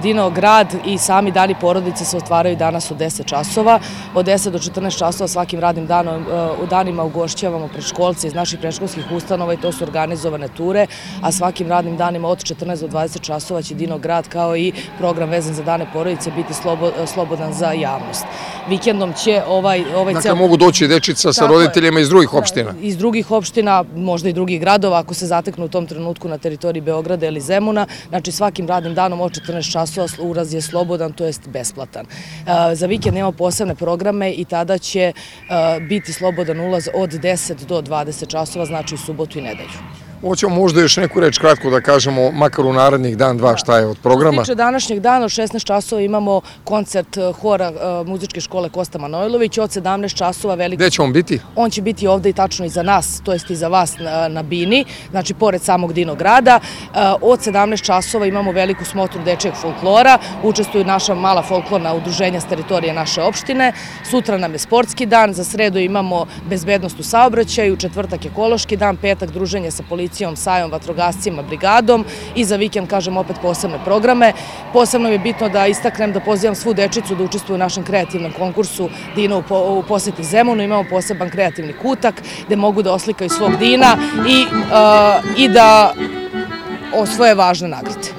Dino grad i sami dani porodice se otvaraju danas od 10 časova. Od 10 do 14 časova svakim radnim danima ugošćavamo predškolce iz naših predškolskih ustanova i to su organizovane ture, a svakim radnim danima od 14 do 20 časova će Dino grad kao i program vezan za dane porodice biti slobodan za javnost. Vikendom će ovaj Dakle, mogu doći dečica sa roditeljima iz drugih opština? Iz drugih opština, možda i drugih gradova, ako se zateknu u tom trenutku na teritoriji Beograda ili Zemuna. Znači, svakim radnim danom od 14 časova ulaz je slobodan, to jest besplatan. Za vikend imamo posebne programe i tada će biti slobodan ulaz od 10 do 20 časova, znači u subotu i nedelju. Hoćemo možda još neku reč kratko da kažemo, makar u narednih dan, dva, šta je od programa? Što se tiče današnjeg dana, od 16 časova imamo koncert hora muzičke škole Kosta Manojlović, od 17 časova veliko... Gde će on biti? On će biti ovde i tačno i za nas, to jest i za vas na Bini, znači pored samog Dino grada. Od 17 časova imamo veliku smotru dečijeg folklora, učestvuju naša mala folklorna udruženja s teritorije naše opštine. Sutra nam je sportski dan, za sredu imamo bezbednost u saobraćaju, četvrtak ekološki dan, petak druženje sa policijom, sajom, vatrogascima, brigadom i za vikend, kažem, opet posebne programe. Posebno je bitno da istaknem da pozivam svu dečicu da učestvuju u našem kreativnom konkursu Dino u poseti Zemunu. Imamo poseban kreativni kutak gde mogu da oslikaju svog Dina i da osvoje važne nagrade.